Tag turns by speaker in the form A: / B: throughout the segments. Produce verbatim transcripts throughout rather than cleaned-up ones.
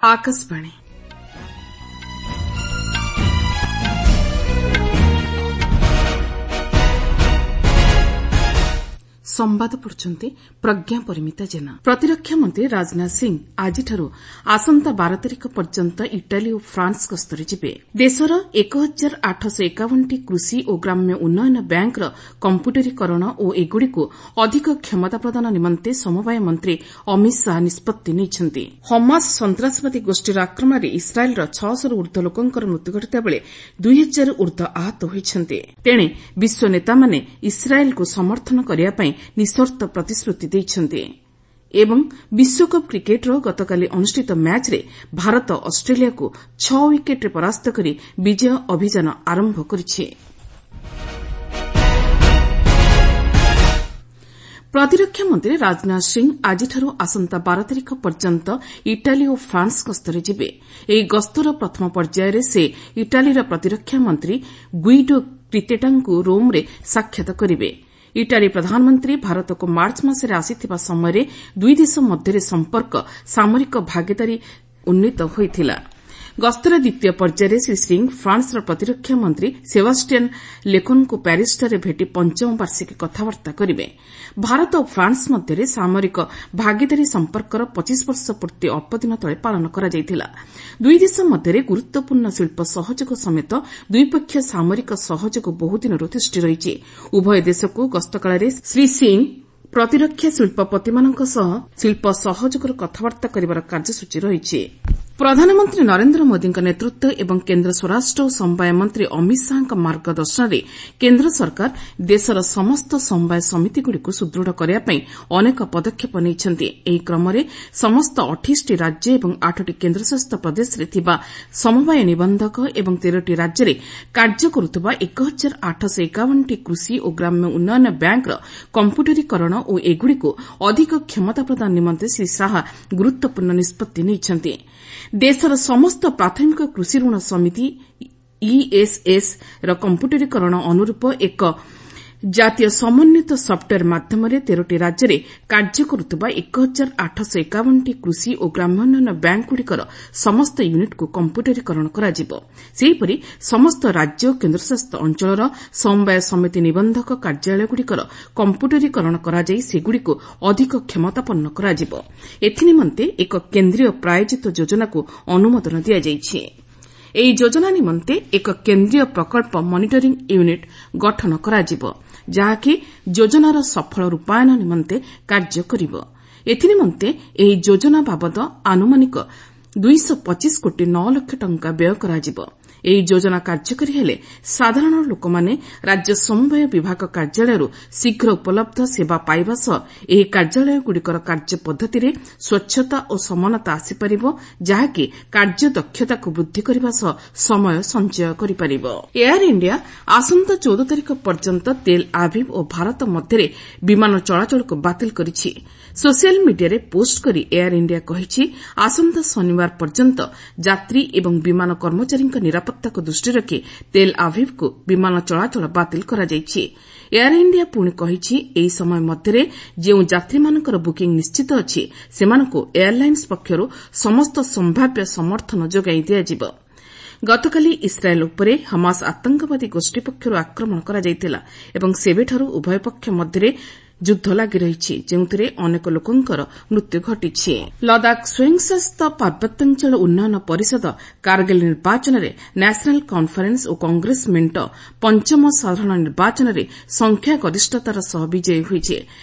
A: ଆକାଶବାଣୀ। ସମ୍ବାଦ ପଢୁଛନ୍ତି ପ୍ରଜ୍ଞା ପରିମିତା ଜେନା। ପ୍ରତିରକ୍ଷା ମନ୍ତ୍ରୀ ରାଜନାଥ ସିଂ ଆଜିଠାରୁ ଆସନ୍ତା ବାର ତାରିଖ ପର୍ଯ୍ୟନ୍ତ ଇଟାଲୀ ଓ ଫ୍ରାନ୍ସ ଗସ୍ତରେ ଯିବେ। ଦେଶର ଏକ ହଜାର ଆଠଶହ ଏକାବନଟି କୃଷି ଓ ଗ୍ରାମ୍ୟ ଉନ୍ନୟନ ବ୍ୟାଙ୍କର କମ୍ପ୍ୟୁଟରୀକରଣ ଓ ଏଗୁଡ଼ିକୁ ଅଧିକ କ୍ଷମତା ପ୍ରଦାନ ନିମନ୍ତେ ସମବାୟ ମନ୍ତ୍ରୀ ଅମିତ ଶାହା ନିଷ୍ପତ୍ତି ନେଇଛନ୍ତି। ହମାସ ସନ୍ତାସବାଦୀ ଗୋଷ୍ଠୀର ଆକ୍ରମଣରେ ଇସ୍ରାଏଲ୍ର ଛଅଶହରୁ ଊର୍ଦ୍ଧ୍ୱ ଲୋକଙ୍କର ମୃତ୍ୟୁ ଘଟିଥିବାବେଳେ ଦୁଇ ହଜାରରୁ ଊର୍ଦ୍ଧ୍ୱ ଆହତ ହୋଇଛନ୍ତି। ତେଣେ ବିଶ୍ୱ ନେତାମାନେ ଇସ୍ରାଏଲ୍କୁ ସମର୍ଥନ କରିବା ପାଇଁ ନିଃସର୍ତ୍ତ ପ୍ରତିଶ୍ରୁତି ଦେଇଛନ୍ତି। ଏବଂ ବିଶ୍ୱକପ୍ କ୍ରିକେଟ୍ର ଗତକାଲି ଅନୁଷ୍ଠିତ ମ୍ୟାଚ୍ରେ ଭାରତ ଅଷ୍ଟ୍ରେଲିଆକୁ ଛଅ ୱିକେଟ୍ରେ ପରାସ୍ତ କରି ବିଜୟ ଅଭିଯାନ ଆରମ୍ଭ କରିଛି। ପ୍ରତିରକ୍ଷା ମନ୍ତ୍ରୀ ରାଜନାଥ ସିଂ ଆଜିଠାରୁ ଆସନ୍ତା ବାର ତାରିଖ ପର୍ଯ୍ୟନ୍ତ ଇଟାଲୀ ଓ ଫ୍ରାନ୍ସ ଗସ୍ତରେ ଯିବେ। ଏହି ଗସ୍ତର ପ୍ରଥମ ପର୍ଯ୍ୟାୟରେ ସେ ଇଟାଲୀର ପ୍ରତିରକ୍ଷା ମନ୍ତ୍ରୀ ଗୁଇଡୋ କ୍ରିତେଟାଙ୍କୁ ରୋମ୍ରେ ସାକ୍ଷାତ କରିବେ। ଇଟାଲୀ ପ୍ରଧାନମନ୍ତ୍ରୀ ଭାରତକୁ ମାର୍ଚ୍ଚ ମାସରେ ଆସିଥିବା ସମୟରେ ଦୁଇ ଦେଶ ମଧ୍ୟରେ ସମ୍ପର୍କ ସାମରିକ ଭାଗିଦାରୀ ଉନ୍ନୀତ ହୋଇଥିଲା। ଗସ୍ତର ଦ୍ୱିତୀୟ ପର୍ଯ୍ୟାୟରେ ଶ୍ରୀ ସିଂ ଫ୍ରାନ୍ସର ପ୍ରତିରକ୍ଷା ମନ୍ତ୍ରୀ ସେବାଷ୍ଟିଆନ୍ ଲେକୋର୍ଣ୍ଣଙ୍କୁ ପ୍ୟାରିସ୍ଠାରେ ଭେଟି ପଞ୍ଚମ ବାର୍ଷିକୀ କଥାବାର୍ତ୍ତା କରିବେ। ଭାରତ ଓ ଫ୍ରାନ୍ସ ମଧ୍ୟରେ ସାମରିକ ଭାଗିଦାରୀ ସମ୍ପର୍କର ପଚିଶ ବର୍ଷ ପୂର୍ତ୍ତି ଅଳ୍ପଦିନ ତଳେ ପାଳନ କରାଯାଇଥିଲା। ଦୁଇ ଦେଶ ମଧ୍ୟରେ ଗୁରୁତ୍ୱପୂର୍ଣ୍ଣ ଶିଳ୍ପ ସହଯୋଗ ସମେତ ଦ୍ୱିପକ୍ଷୀୟ ସାମରିକ ସହଯୋଗ ବହୁଦିନରୁ ତିଷ୍ଠି ରହିଛି। ଉଭୟ ଦେଶକୁ ଗସ୍ତକାଳରେ ଶ୍ରୀ ସିଂ ପ୍ରତିରକ୍ଷା ଶିଳ୍ପପତିମାନଙ୍କ ସହ ଶିଳ୍ପ ସହଯୋଗର କଥାବାର୍ତ୍ତା କରିବାର କାର୍ଯ୍ୟସୂଚୀ ରହିଛି। ପ୍ରଧାନମନ୍ତ୍ରୀ ନରେନ୍ଦ୍ର ମୋଦିଙ୍କ ନେତୃତ୍ୱ ଏବଂ କେନ୍ଦ୍ର ସ୍ୱରାଷ୍ଟ୍ର ଓ ସମବାୟ ମନ୍ତ୍ରୀ ଅମିତ ଶାହାଙ୍କ ମାର୍ଗଦର୍ଶନରେ କେନ୍ଦ୍ର ସରକାର ଦେଶର ସମସ୍ତ ସମବାୟ ସମିତିଗୁଡ଼ିକୁ ସୁଦୃଢ଼ କରିବା ପାଇଁ ଅନେକ ପଦକ୍ଷେପ ନେଇଛନ୍ତି। ଏହି କ୍ରମରେ ସମସ୍ତ ଅଠେଇଶଟି ରାଜ୍ୟ ଏବଂ ଆଠଟି କେନ୍ଦ୍ରଶାସିତ ପ୍ରଦେଶରେ ଥିବା ସମବାୟ ନିବନ୍ଧକ ଏବଂ ତେରଟି ରାଜ୍ୟରେ କାର୍ଯ୍ୟ କରୁଥିବା ଏକ ହଜାର ଆଠଶହ ଏକାବନଟି କୃଷି ଓ ଗ୍ରାମ୍ୟ ଉନ୍ନୟନ ବ୍ୟାଙ୍କର କମ୍ପ୍ୟୁଟରୀକରଣ ଓ ଏଗୁଡ଼ିକୁ ଅଧିକ କ୍ଷମତା ପ୍ରଦାନ ନିମନ୍ତେ ଶ୍ରୀ ଶାହା ଗୁରୁତ୍ୱପୂର୍ଣ୍ଣ ନିଷ୍ପତ୍ତି ନେଇଛନ୍ତି। ଦେଶର ସମସ୍ତ ପ୍ରାଥମିକ କୃଷି ଋଣ ସମିତି ଇଏସ୍ଏସ୍ ର କମ୍ପ୍ୟୁଟରୀକରଣ ଅନୁରୂପ ଏକ ଜାତୀୟ ସମନ୍ୱିତ ସଫ୍ଟୱେୟାର ମାଧ୍ୟମରେ ତେରଟି ରାଜ୍ୟରେ କାର୍ଯ୍ୟ କରୁଥିବା ଏକ ହଜାର ଆଠଶହ ଏକାବନଟି କୃଷି ଓ ଗ୍ରାମ୍ୟ ଉନ୍ନୟନ ବ୍ୟାଙ୍କଗୁଡ଼ିକର ସମସ୍ତ ୟୁନିଟ୍କୁ କମ୍ପ୍ୟୁଟରୀକରଣ କରାଯିବ। ସେହିପରି ସମସ୍ତ ରାଜ୍ୟ ଓ କେନ୍ଦ୍ରଶାସିତ ଅଞ୍ଚଳର ସମବାୟ ସମିତି ନିବନ୍ଧକ କାର୍ଯ୍ୟାଳୟଗୁଡ଼ିକର କମ୍ପ୍ୟୁଟରୀକରଣ କରାଯାଇ ସେଗୁଡ଼ିକୁ ଅଧିକ କ୍ଷମତାପନ୍ନ କରାଯିବ। ଏଥିନିମନ୍ତେ ଏକ କେନ୍ଦ୍ରୀୟ ପ୍ରାୟୋଜିତ ଯୋଜନାକୁ ଅନୁମୋଦନ ଦିଆଯାଇଛି। ଏହି ଯୋଜନା ନିମନ୍ତେ ଏକ କେନ୍ଦ୍ରୀୟ ପ୍ରକଳ୍ପ ମନିଟରିଂ ୟୁନିଟ୍ ଗଠନ କରାଯିବ, ଯାହାକି ଯୋଜନାର ସଫଳ ରୂପାୟନ ନିମନ୍ତେ କାର୍ଯ୍ୟ କରିବ। ଏଥିନିମନ୍ତେ ଏହି ଯୋଜନା ବାବଦ ଆନୁମାନିକ ଦୁଇଶହ ପଚିଶ କୋଟି ନଅ ଲକ୍ଷ ଟଙ୍କା ବ୍ୟୟ କରାଯିବ। ଏହି ଯୋଜନା କାର୍ଯ୍ୟକାରୀ ହେଲେ ସାଧାରଣ ଲୋକମାନେ ରାଜ୍ୟ ସମବାୟ ବିଭାଗ କାର୍ଯ୍ୟାଳୟରୁ ଶୀଘ୍ର ଉପଲବ୍ଧ ସେବା ପାଇବା ସହ ଏହି କାର୍ଯ୍ୟାଳୟଗୁଡ଼ିକର କାର୍ଯ୍ୟ ପଦ୍ଧତିରେ ସ୍ୱଚ୍ଛତା ଓ ସମାନତା ଆସିପାରିବ, ଯାହାକି କାର୍ଯ୍ୟଦକ୍ଷତାକୁ ବୃଦ୍ଧି କରିବା ସହ ସମୟ ସଞ୍ଚୟ କରିପାରିବ। ଏୟାର ଇଣ୍ଡିଆ ଆସନ୍ତା ଚଉଦ ତାରିଖ ପର୍ଯ୍ୟନ୍ତ ତେଲ୍ ଆଭିଭ୍ ଓ ଭାରତ ମଧ୍ୟରେ ବିମାନ ଚଳାଚଳକୁ ବାତିଲ କରିଛି। ସୋସିଆଲ ମିଡିଆରେ ପୋଷ୍ଟ କରି ଏୟାର ଇଣ୍ଡିଆ କହିଛି, ଆସନ୍ତା ଶନିବାର ପର୍ଯ୍ୟନ୍ତ ଯାତ୍ରୀ ଏବଂ ବିମାନ କର୍ମଚାରୀଙ୍କ ନିରାପତ୍ତାକୁ ଦୃଷ୍ଟିରେ ରଖି ତେଲ୍ ଆଭିଭ୍କୁ ବିମାନ ଚଳାଚଳ ବାତିଲ କରାଯାଇଛି। ଏୟାର ଇଣ୍ଡିଆ ପୁଣି କହିଛି, ଏହି ସମୟ ମଧ୍ୟରେ ଯେଉଁ ଯାତ୍ରୀମାନଙ୍କର ବୁକିଂ ନିଶ୍ଚିତ ଅଛି, ସେମାନଙ୍କୁ ଏୟାରଲାଇନ୍ସ ପକ୍ଷରୁ ସମସ୍ତ ସମ୍ଭାବ୍ୟ ସମର୍ଥନ ଯୋଗାଇ ଦିଆଯିବ। ଗତକାଲି ଇସ୍ରାଏଲ୍ ଉପରେ ହମାସ ଆତଙ୍କବାଦୀ ଗୋଷ୍ଠୀ ପକ୍ଷରୁ ଆକ୍ରମଣ କରାଯାଇଥିଲା ଏବଂ ସେବେଠାରୁ ଉଭୟ ପକ୍ଷ ମଧ୍ୟରେ ଯୁଦ୍ଧ ଲାଗି ରହିଛି, ଯେଉଁଥିରେ ଅନେକ ଲୋକଙ୍କର ମୃତ୍ୟୁ ଘଟିଛି। ଲଦାଖ ସ୍ୱୟଂଶାସିତ ପାର୍ବତ୍ୟାଞ୍ଚଳ ଉନ୍ନୟନ ପରିଷଦ କାର୍ଗିଲ୍ ନିର୍ବାଚନରେ ନ୍ୟାସନାଲ୍ କନ୍ଫରେନ୍ସ ଓ କଂଗ୍ରେସ ମେଣ୍ଟ ପଞ୍ଚମ ସାଧାରଣ ନିର୍ବାଚନରେ ସଂଖ୍ୟାଗରିଷ୍ଠତାର ସହ ବିଜୟୀ ହୋଇଛି।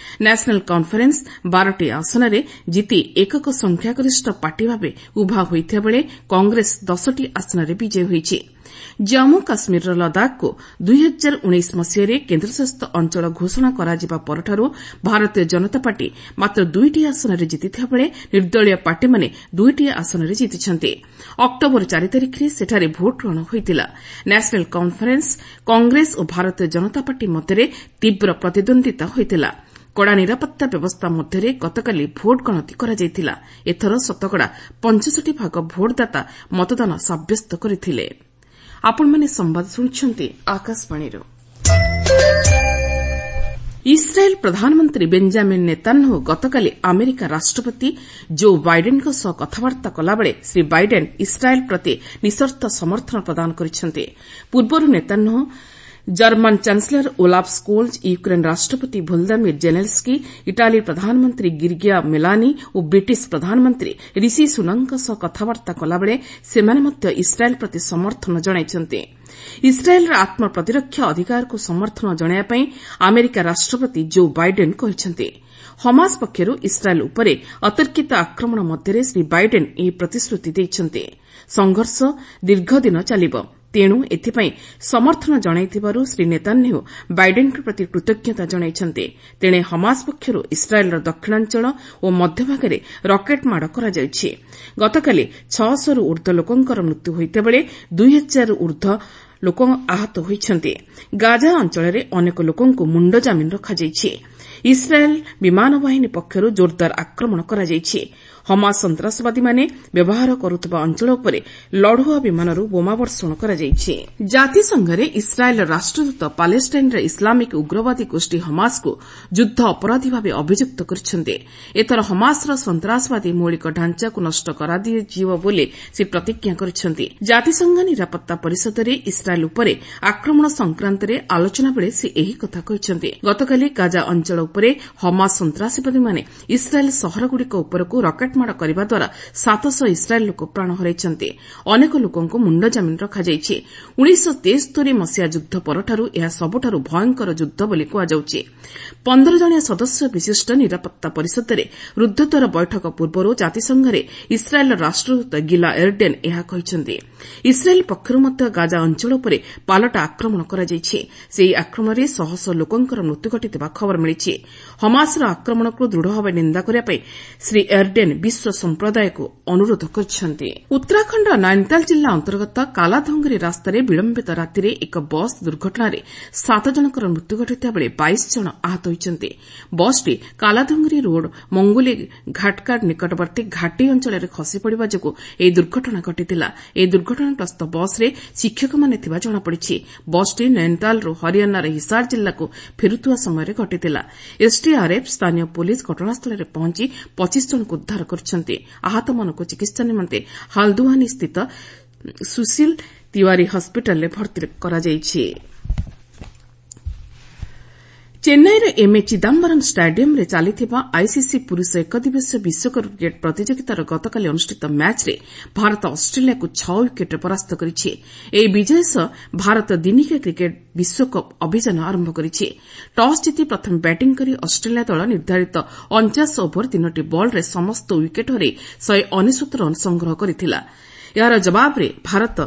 A: ନ୍ୟାସନାଲ୍ କନ୍ଫରେନ୍ସ ବାରଟି ଆସନରେ ଜିତି ଏକକ ସଂଖ୍ୟାଗରିଷ୍ଠ ପାର୍ଟି ଭାବେ ଉଭା ହୋଇଥିବାବେଳେ କଂଗ୍ରେସ ଦଶଟି ଆସନରେ ବିଜୟୀ ହୋଇଛି। ଜମ୍ମୁ କାଶ୍ମୀରର ଲଦାଖକୁ ଦୁଇ ହଜାର ଉଣେଇଶ ମସିହାରେ କେନ୍ଦ୍ରଶାସିତ ଅଞ୍ଚଳ ଘୋଷଣା କରାଯିବା ପରଠାରୁ ଭାରତୀୟ ଜନତା ପାର୍ଟି ମାତ୍ର ଦୁଇଟି ଆସନରେ ଜିତିଥିବାବେଳେ ନିର୍ଦ୍ଦଳୀୟ ପାର୍ଟିମାନେ ଦୁଇଟି ଆସନରେ ଜିତିଛନ୍ତି। ଅକ୍ଟୋବର ଚାରି ତାରିଖରେ ସେଠାରେ ଭୋଟଗ୍ରହଣ ହୋଇଥିଲା। ନ୍ୟାସନାଲ୍ କନ୍ଫରେନ୍ସ, କଂଗ୍ରେସ ଓ ଭାରତୀୟ ଜନତା ପାର୍ଟି ମଧ୍ୟରେ ତୀବ୍ର ପ୍ରତିଦ୍ୱନ୍ଦ୍ୱିତା ହୋଇଥିଲା। କଡ଼ା ନିରାପତ୍ତା ବ୍ୟବସ୍ଥା ମଧ୍ୟରେ ଗତକାଲି ଭୋଟ ଗଣତି କରାଯାଇଥିଲା। ଏଥର ଶତକଡ଼ା ପଞ୍ଚଷଠି ଭାଗ ଭୋଟଦାତା ମତଦାନ ସାବ୍ୟସ୍ତ କରିଥିଲେ। ଆପଣମାନେ ସମ୍ବାଦ ଶୁଣୁଛନ୍ତି ଆକାଶବାଣୀରୁ। ଇସ୍ରାଏଲ୍ ପ୍ରଧାନମନ୍ତ୍ରୀ ବେଞ୍ଜାମିନ୍ ନେତାନ୍ୟାହୁ ଗତକାଲି ଆମେରିକା ରାଷ୍ଟ୍ରପତି ଜୋ ବାଇଡେନ୍ଙ୍କ ସହ କଥାବାର୍ତ୍ତା କଲାବେଳେ ଶ୍ରୀ ବାଇଡେନ୍ ଇସ୍ରାଏଲ୍ ପ୍ରତି ନିଃସର୍ତ୍ତ ସମର୍ଥନ ପ୍ରଦାନ କରିଛନ୍ତି। ପୂର୍ବରୁ Netanyahu German chancellor Olaf Scholz, Ukraine ରାଷ୍ଟ୍ରପତି ଭୋଲ୍ଦାମିର ଜେଲେନ୍ସ୍କି, ଇଟାଲୀ ପ୍ରଧାନମନ୍ତ୍ରୀ ଗିର୍ଗିଆ ମେଲାନି ଓ ବ୍ରିଟିଶ ପ୍ରଧାନମନ୍ତ୍ରୀ ରିଷି ସୁନକଙ୍କ ସହ କଥାବାର୍ତ୍ତା କଲାବେଳେ ସେମାନେ ମଧ୍ୟ ଇସ୍ରାଏଲ୍ ପ୍ରତି ସମର୍ଥନ ଜଣାଇଛନ୍ତି। ଇସ୍ରାଏଲ୍ର ଆତ୍ମପ୍ରତିରକ୍ଷା ଅଧିକାରକୁ ସମର୍ଥନ ଜଣାଇବା ପାଇଁ ଆମେରିକା ରାଷ୍ଟ୍ରପତି ଜୋ ବାଇଡେନ୍ କହିଛନ୍ତି। ହମାସ ପକ୍ଷରୁ ଇସ୍ରାଏଲ୍ ଉପରେ ଅତର୍କିତ ଆକ୍ରମଣ ମଧ୍ୟରେ ଶ୍ରୀ ବାଇଡେନ୍ ଏହି ପ୍ରତିଶ୍ରୁତି ଦେଇଛନ୍ତି। ସଂଘର୍ଷ ଦୀର୍ଘଦିନ ଚାଲିବ, ତେଣୁ ଏଥିପାଇଁ ସମର୍ଥନ ଜଣାଇଥିବାରୁ ଶ୍ରୀ ନେତାନ୍ୟାହୁ ବାଇଡେନ୍ଙ୍କ ପ୍ରତି କୃତଜ୍ଞତା ଜଣାଇଛନ୍ତି। ତେଣେ ହମାସ ପକ୍ଷରୁ ଇସ୍ରାଏଲ୍ର ଦକ୍ଷିଣାଞ୍ଚଳ ଓ ମଧ୍ୟଭାଗରେ ରକେଟ୍ ମାଡ଼ କରାଯାଇଛି। ଗତକାଲି ଛଅଶହରୁ ଊର୍ଦ୍ଧ୍ୱ ଲୋକଙ୍କର ମୃତ୍ୟୁ ହୋଇଥିବାବେଳେ ଦୁଇ ହଜାରରୁ ଊର୍ଦ୍ଧ୍ୱ ଲୋକ ଆହତ ହୋଇଛନ୍ତି। ଗାଜା ଅଞ୍ଚଳରେ ଅନେକ ଲୋକଙ୍କୁ ମୁଣ୍ଡଜାମିନ ରଖାଯାଇଛି। ଇସ୍ରାଏଲ୍ ବିମାନ ବାହିନୀ ପକ୍ଷରୁ ଜୋରଦାର ଆକ୍ରମଣ କରାଯାଇଛି। ହମାସ ସନ୍ତାସବାଦୀମାନେ ବ୍ୟବହାର କରୁଥିବା ଅଞ୍ଚଳ ଉପରେ ଲଢୁଆ ବିମାନରୁ ବୋମା ବର୍ଷଣ କରାଯାଇଛି। ଜାତିସଂଘରେ ଇସ୍ରାଏଲ୍ର ରାଷ୍ଟ୍ରଦୂତ ପାଲେଷ୍ଟାଇନ୍ର ଇସଲାମିକ୍ ଉଗ୍ରବାଦୀ ଗୋଷ୍ଠୀ ହମାସକୁ ଯୁଦ୍ଧ ଅପରାଧୀ ଭାବେ ଅଭିଯୁକ୍ତ କରିଛନ୍ତି। ଏଥର ହମାସର ସନ୍ତାସବାଦୀ ମୌଳିକ ଢାଞ୍ଚାକୁ ନଷ୍ଟ କରାଯିବ ବୋଲି ସେ ପ୍ରତିଜ୍ଞା କରିଛନ୍ତି। ଜାତିସଂଘ ନିରାପତ୍ତା ପରିଷଦରେ ଇସ୍ରାଏଲ୍ ଉପରେ ଆକ୍ରମଣ ସଂକ୍ରାନ୍ତରେ ଆଲୋଚନାବେଳେ ସେ ଏହି କଥା କହିଛନ୍ତି। ଗତକାଲି ଗାଜା ଅଞ୍ଚଳ ଉପରେ ହମାସ ସନ୍ତାସବାଦୀମାନେ ଇସ୍ରାଏଲ୍ ସହରଗୁଡ଼ିକ ଉପରକୁ ରକେଟ୍ ମାଡ଼ କରିବା ଦ୍ୱାରା ସାତଶହ ଇସ୍ରାଏଲ୍ ଲୋକ ପ୍ରାଣ ହରାଇଛନ୍ତି। ଅନେକ ଲୋକଙ୍କୁ ମୁଣ୍ଡଜାମିନ ରଖାଯାଇଛି। ଉଣେଇଶହ ତେସ୍ତରି ମସିହା ଯୁଦ୍ଧ ପରଠାରୁ ଏହା ସବୁଠାରୁ ଭୟଙ୍କର ଯୁଦ୍ଧ ବୋଲି କୁହାଯାଉଛି। ପନ୍ଦର ଜଣିଆ ସଦସ୍ୟ ବିଶିଷ୍ଟ ନିରାପତ୍ତା ପରିଷଦରେ ରୁଦ୍ଧଦ୍ୱାର ବୈଠକ ପୂର୍ବରୁ ଜାତିସଂଘରେ ଇସ୍ରାଏଲ୍ର ରାଷ୍ଟ୍ରଦୂତ ଗିଲା ଏର୍ଡେନ୍ ଏହା କହିଛନ୍ତି। ଇସ୍ରାଏଲ୍ ପକ୍ଷରୁ ମଧ୍ୟ ଗାଜା ଅଞ୍ଚଳ ଉପରେ ପାଲଟା ଆକ୍ରମଣ କରାଯାଇଛି। ସେହି ଆକ୍ରମଣରେ ଶହ ଶହ ଲୋକଙ୍କର ମୃତ୍ୟୁ ଘଟିଥିବା ଖବର ମିଳିଛି। ହମାସର ଆକ୍ରମଣକୁ ଦୃଢ଼ ଭାବେ ନିନ୍ଦା କରିବା ପାଇଁ ଶ୍ରୀ ଏର୍ଡେନ୍ ବିଶ୍ୱ ସମ୍ପ୍ରଦାୟକୁ ଅନୁରୋଧ କରିଛନ୍ତି। ଉତ୍ତରାଖଣ୍ଡର ନୈନିତାଲ ଜିଲ୍ଲା ଅନ୍ତର୍ଗତ କାଲାଧୁଙ୍ଗରି ରାସ୍ତାରେ ବିଳମ୍ବିତ ରାତିରେ ଏକ ବସ୍ ଦୁର୍ଘଟଣାରେ ସାତ ଜଣଙ୍କର ମୃତ୍ୟୁ ଘଟିଥିବାବେଳେ ବାଇଶ ଜଣ ଆହତ ହୋଇଛନ୍ତି। ବସ୍ଟି କାଲାଧୁଙ୍ଗରି ରୋଡ୍ ମଙ୍ଗୁଲି ଘାଟକାଡ୍ ନିକଟବର୍ତ୍ତୀ ଘାଟି ଅଞ୍ଚଳରେ ଖସିପଡ଼ିବା ଯୋଗୁଁ ଏହି ଦୁର୍ଘଟଣା ଘଟିଥିଲା। ଏହି ଦୁର୍ଘଟଣାଗ୍ରସ୍ତ ବସ୍ରେ ଶିକ୍ଷକମାନେ ଥିବା ଜଣାପଡ଼ିଛି। ବସ୍ଟି ନୈନିତାଲରୁ ହରିୟାଣାର ହିସାର ଜିଲ୍ଲାକୁ ଫେରୁଥିବା ସମୟରେ ଘଟିଥିଲା। ଏସ୍ଡିଆର୍ଏଫ୍, ସ୍ଥାନୀୟ ପୋଲିସ ଘଟଣାସ୍ଥଳରେ ପହଞ୍ଚି ପଚିଶ ଜଣଙ୍କୁ ଉଦ୍ଧାର କରିଛନ୍ତି। ଆହତମାନଙ୍କୁ ଚିକିତ୍ସା ନିମନ୍ତେ ହାଲ୍ଦୁୱାନି ସ୍ଥିତ ସୁଶୀଲ ତିୱାରୀ ହସ୍ପିଟାଲରେ ଭର୍ତ୍ତି କରାଯାଇଛି। ଚେନ୍ନାଇର ଏମ୍ଏ ଚିଦାମ୍ବରମ୍ ଷ୍ଟାଡିୟମ୍ରେ ଚାଲିଥିବା ଆଇସିସି ପୁରୁଷ ଏକଦିବସୀୟ ବିଶ୍ୱକପ୍ କ୍ରିକେଟ୍ ପ୍ରତିଯୋଗିତାର ଗତକାଲି ଅନୁଷ୍ଠିତ ମ୍ୟାଚ୍ରେ ଭାରତ ଅଷ୍ଟ୍ରେଲିଆକୁ ଛଅ ୱିକେଟ୍ରେ ପରାସ୍ତ କରିଛି। ଏହି ବିଜୟ ସହ ଭାରତ ଦିନିକିଆ କ୍ରିକେଟ୍ ବିଶ୍ୱକପ୍ ଅଭିଯାନ ଆରମ୍ଭ କରିଛି। ଟସ୍ ଜିତି ପ୍ରଥମେ ବ୍ୟାଟିଂ କରି ଅଷ୍ଟ୍ରେଲିଆ ଦଳ ନିର୍ଦ୍ଧାରିତ ଅଣଚାଶ ଓଭର ତିନୋଟି ବଲ୍ରେ ସମସ୍ତ ୱିକେଟ୍ ହରାଇ ଶହେ ଅନେଶ୍ୱତ ରନ୍ ସଂଗ୍ରହ କରିଥିଲା। ଏହାର ଜବାବରେ ଭାରତ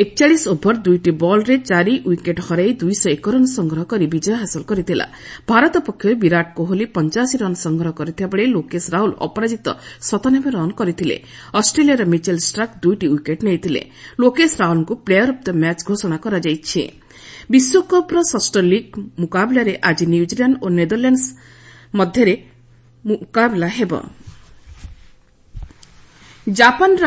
A: ଏକଚାଳିଶ ଓଭର ଦୁଇଟି ବଲ୍ରେ ଚାରି ୱିକେଟ୍ ହରାଇ ଦୁଇଶହ ଏକ ରନ୍ ସଂଗ୍ରହ କରି ବିଜୟ ହାସଲ କରିଥିଲା। ଭାରତ ପକ୍ଷରୁ ବିରାଟ କୋହଲି ପଞ୍ଚାଅଶୀ ରନ୍ ସଂଗ୍ରହ କରିଥିବାବେଳେ ଲୋକେଶ ରାହୁଲ ଅପରାଜିତ ସତାନବେ ରନ୍ କରିଥିଲେ। ଅଷ୍ଟ୍ରେଲିଆର ମିଚେଲ୍ ଷ୍ଟାର୍କ ଦୁଇଟି ୱିକେଟ୍ ନେଇଥିଲେ। ଲୋକେଶ ରାହୁଲଙ୍କୁ ପ୍ଲେୟର ଅଫ୍ the match ଘୋଷଣା କରାଯାଇଛି। ବିଶ୍ୱକପ୍ର ଷଷ୍ଠ ଲିଗ୍ ମୁକାବିଲାରେ ଆଜି ନ୍ୟୁଜିଲାଣ୍ଡ ଓ ନେଦରଲ୍ୟାଣ୍ଡସ୍ ମଧ୍ୟରେ ମୁକାବିଲା ହେବ। ଜାପାନର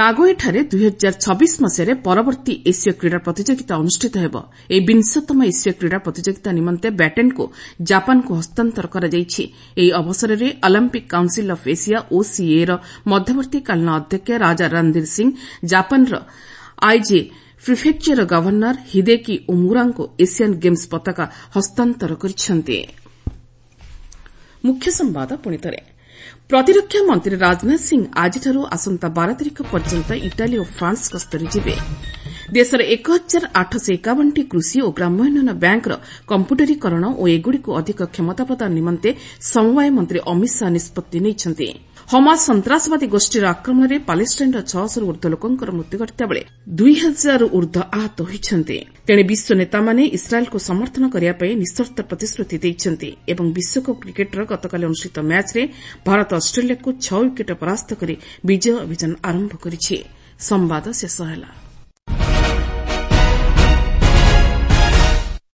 A: ନାଗୋୟାଠାରେ ଦୁଇ ହଜାର ଛବିଶ ମସିହାରେ ପରବର୍ତ୍ତୀ ଏସୀୟ କ୍ରୀଡ଼ା ପ୍ରତିଯୋଗିତା ଅନୁଷ୍ଠିତ ହେବ। ଏହି ବିଂଶତମ ଏସୀୟ କ୍ରୀଡ଼ା ପ୍ରତିଯୋଗିତା ନିମନ୍ତେ ବ୍ୟାଟେନ୍କୁ ଜାପାନକୁ ହସ୍ତାନ୍ତର କରାଯାଇଛି। ଏହି ଅବସରରେ ଅଲିମ୍ପିକ୍ କାଉନ୍ସିଲ୍ ଅଫ୍ ଏସିଆ ଓସିଏର ମଧ୍ୟବର୍ତ୍ତୀକାଳୀନ ଅଧ୍ୟକ୍ଷ ରାଜା ରଣଧୀର ସିଂ ଜାପାନର ଆଇଜି ପ୍ରିଫେକ୍ଚରର ଗଭର୍ଣ୍ଣର ହିଦେକି ଓମୁରାଙ୍କୁ ଏସିଆନ୍ ଗେମ୍ସ ପତାକା ହସ୍ତାନ୍ତର କରିଛନ୍ତି। ପ୍ରତିରକ୍ଷା ମନ୍ତ୍ରୀ ରାଜନାଥ ସିଂ ଆଜିଠାରୁ ଆସନ୍ତା ବାର ତାରିଖ ପର୍ଯ୍ୟନ୍ତ ଇଟାଲୀ ଓ ଫ୍ରାନ୍ସ ଗସ୍ତରେ ଯିବେ। ଦେଶର ଏକ ହଜାର ଆଠଶହ ଏକାବନଟି କୃଷି ଓ ଗ୍ରାମ୍ୟ ଉନ୍ନୟନ ବ୍ୟାଙ୍କର କମ୍ପ୍ୟୁଟରୀକରଣ ଓ ଏଗୁଡ଼ିକୁ ଅଧିକ କ୍ଷମତା ପ୍ରଦାନ ନିମନ୍ତେ ସମବାୟ ମନ୍ତ୍ରୀ ଅମିତ ଶାହା ନିଷ୍ପତ୍ତି ନେଇଛନ୍ତି। ହମାସ ସନ୍ତାସବାଦୀ ଗୋଷ୍ଠୀର ଆକ୍ରମଣରେ ପାଲେଷ୍ଟାଇନ୍ର ଛଅଶହରୁ ଊର୍ଦ୍ଧ୍ୱ ଲୋକଙ୍କର ମୃତ୍ୟୁ ଘଟିଥିବାବେଳେ ଦୁଇ ହଜାରରୁ ଊର୍ଦ୍ଧ୍ୱ ଆହତ ହୋଇଛନ୍ତି। ତେଣେ ବିଶ୍ୱ ନେତାମାନେ ଇସ୍ରାଏଲ୍କୁ ସମର୍ଥନ କରିବା ପାଇଁ ନିଃସର୍ତ୍ତ ପ୍ରତିଶ୍ରୁତି ଦେଇଛନ୍ତି ଏବଂ ବିଶ୍ୱକପ୍ କ୍ରିକେଟ୍ର ଗତକାଲି ଅନୁଷ୍ଠିତ ମ୍ୟାଚ୍ରେ ଭାରତ ଅଷ୍ଟ୍ରେଲିଆକୁ ଛଅ ୱିକେଟ୍ରେ ପରାସ୍ତ କରି ବିଜୟ ଅଭିଯାନ ଆରମ୍ଭ କରିଛି। ସମ୍ବାଦ ଶେଷ ହେଲା।